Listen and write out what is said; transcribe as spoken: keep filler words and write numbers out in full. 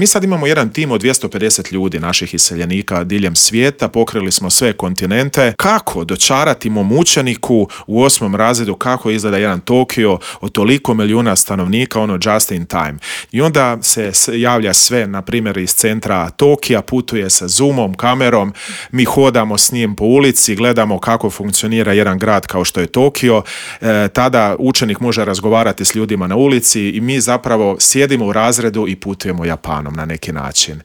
Mi sad imamo jedan tim od dvjesto pedeset ljudi, naših iseljenika diljem svijeta, pokrili smo sve kontinente. Kako dočarati mom učeniku u osmom razredu kako izgleda jedan Tokio od toliko milijuna stanovnika, ono just in time. I onda se javlja sve, na primjer iz centra Tokija, putuje sa zoomom, kamerom, mi hodamo s njim po ulici, gledamo kako funkcionira jedan grad kao što je Tokio. E, tada učenik može razgovarati s ljudima na ulici i mi zapravo sjedimo u razredu i putujemo Japanom na neki način.